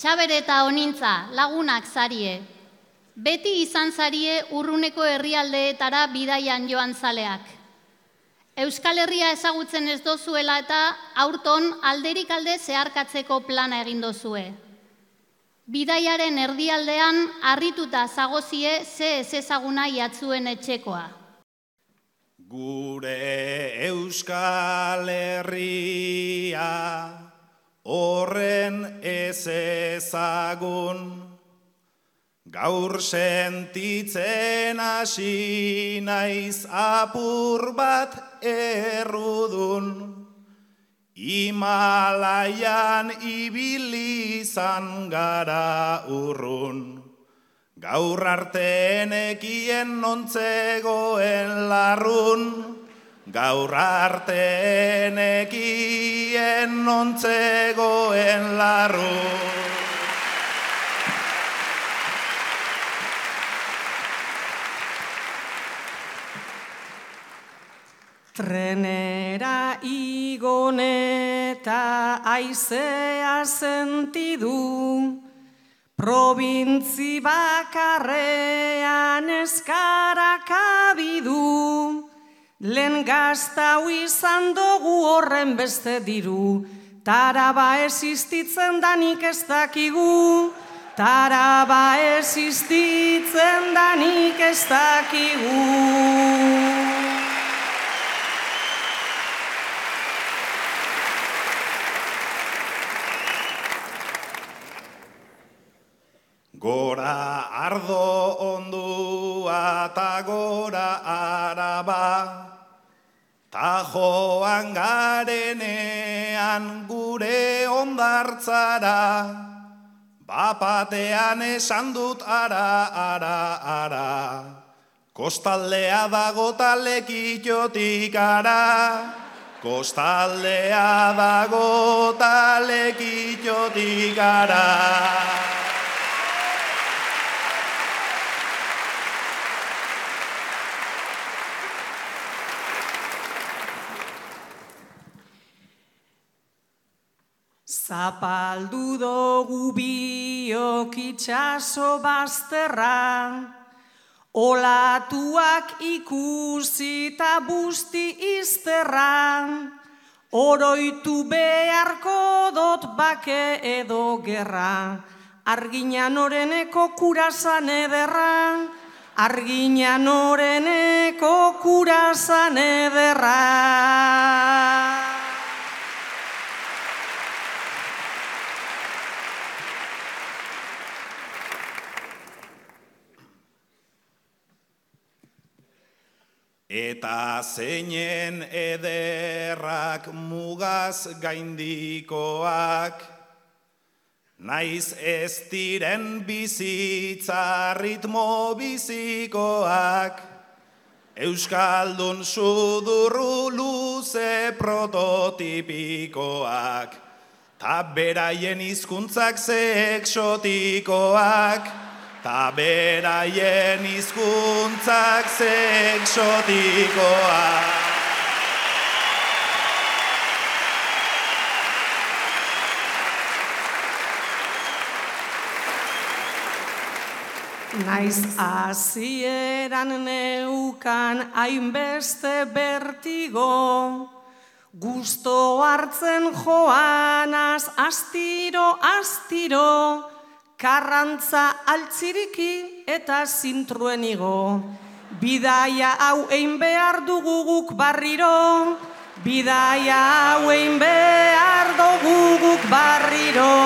Txabere eta Onintza lagunak zarie. Beti izan zarie urruneko herrialdeetara bidaian joan zaleak. Euskal Herria ezagutzen ez dozuela eta aurton alderik alde zeharkatzeko plana egin dozue. Bidaiaren erdialdean harrituta zagozie ze ezezaguna jatzuen etxekoa. Gure Euskal Herria horren ezezagun, gaur sentitzen hasi naiz apur bat errudun, Himalaian ibili izan gara urrun, gaur arte nekien nontzegoen larrun, gaur arte nekien nontzegoen larrun. Trenera igoneta aizea sentidu, probintzi bakarrean eskarak abidu, lehen gaztau izan dugu horren beste diru, taraba existitzen danik ez dakigu, taraba existitzen danik ez dakigu. Gora ardo ondua ta gora araba, ta joan garenean gure ondartzara, bapatean esan dut ara, kostaldea dago ta Lekitxotik ara, kostaldea dago ta Lekitxotik ara. Zapaldu dugu biok itxaso bazterra, olatuak ikusi eta busti izterra, oroitu beharko dot bake edo gerra, arginan oreneko kurasan ederra, arginan oreneko kurasan ederra. Eta zeinen ederrak mugaz gaindikoak, naiz ez diren bizitza ritmo bizikoak, Euskaldun sudurru luze prototipikoak, ta beraien hizkuntzak ze exotikoak, ta beraien hizkuntzak ze exotikoak. Naiz hasieran neukan hainbeste bertigo, gusto hartzen joanaz astiro, karrantza altziriki eta zintruen igo. Bidaia hau egin behar dugu guk barriro, bidaia hau egin behar dugu guk barriro.